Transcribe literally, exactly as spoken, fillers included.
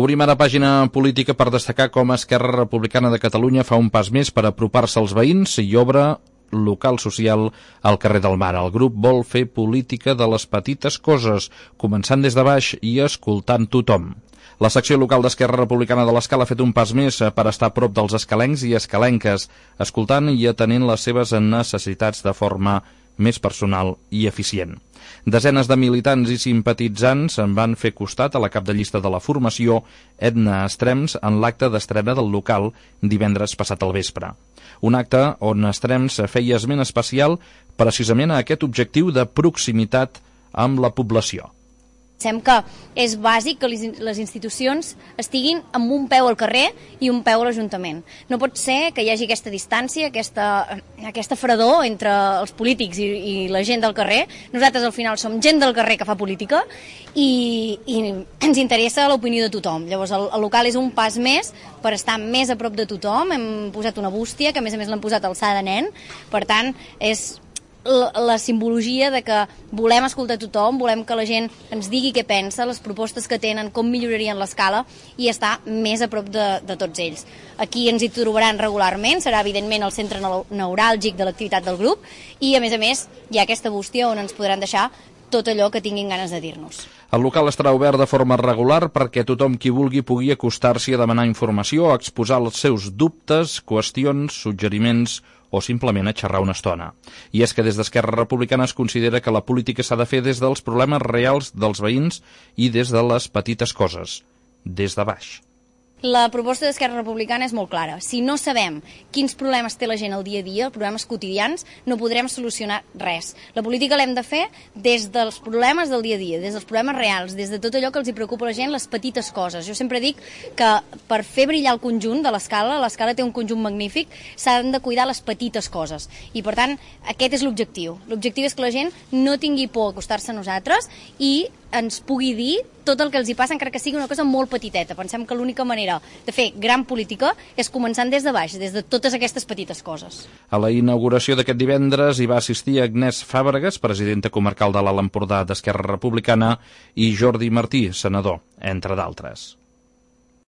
Obrim ara pàgina política per destacar com Esquerra Republicana de Catalunya fa un pas més per apropar-se als veïns i obre local social al carrer del Mar. El grup vol fer política de les petites coses, començant des de baix i escoltant tothom. La secció local d'Esquerra Republicana de l'Escala ha fet un pas més per estar a prop dels escalencs i escalenques, escoltant i atenent les seves necessitats de forma més personal i eficient. Desenes de militants i simpatitzants en van fer costat a la cap de llista de la formació, Edna Estrems, en l'acte d'estrena del local divendres passat al vespre. Un acte on Estrems feia esment especial precisament a aquest objectiu de proximitat amb la població. Pensem que és bàsic que les institucions estiguin amb un peu al carrer i un peu a l'Ajuntament. No pot ser que hi hagi aquesta distància, aquesta, aquesta fredor entre els polítics i, i la gent del carrer. Nosaltres al final som gent del carrer que fa política i, i ens interessa l'opinió de tothom. Llavors el, el local és un pas més per estar més a prop de tothom. Hem posat una bústia, que a més a més l'hem posat alçada de nen, per tant és la, la simbologia de que volem escoltar tothom, volem que la gent ens digui què pensa, les propostes que tenen, com millorarien l'escala i estar més a prop de, de tots ells. Aquí ens hi trobaran regularment, serà evidentment el centre neuràlgic de l'activitat del grup i a més a més hi ha aquesta bústia on ens podran deixar tot allò que tinguin ganes de dir-nos. El local estarà obert de forma regular perquè tothom qui vulgui pugui acostar-s'hi a demanar informació, a exposar els seus dubtes, qüestions, suggeriments o simplement a xerrar una estona. I és que des d'Esquerra Republicana es considera que la política s'ha de fer des dels problemes reals dels veïns i des de les petites coses, des de baix. La proposta d'Esquerra Republicana és molt clara. Si no sabem quins problemes té la gent al dia a dia, problemes quotidians, no podrem solucionar res. La política l'hem de fer des dels problemes del dia a dia, des dels problemes reals, des de tot allò que els hi preocupa a la gent, les petites coses. Jo sempre dic que per fer brillar el conjunt de l'escala, l'escala té un conjunt magnífic, s'han de cuidar les petites coses. I per tant, aquest és l'objectiu. L'objectiu és que la gent no tingui por a acostar-se a nosaltres i ens pugui dir tot el que els hi passa, encara que sigui una cosa molt petiteta. Pensem que l'única manera de fer gran política és començant des de baix, des de totes aquestes petites coses. A la inauguració d'aquest divendres hi va assistir Agnès Fàbregas, presidenta comarcal de l'Alt Empordà d'Esquerra Republicana, i Jordi Martí, senador, entre d'altres.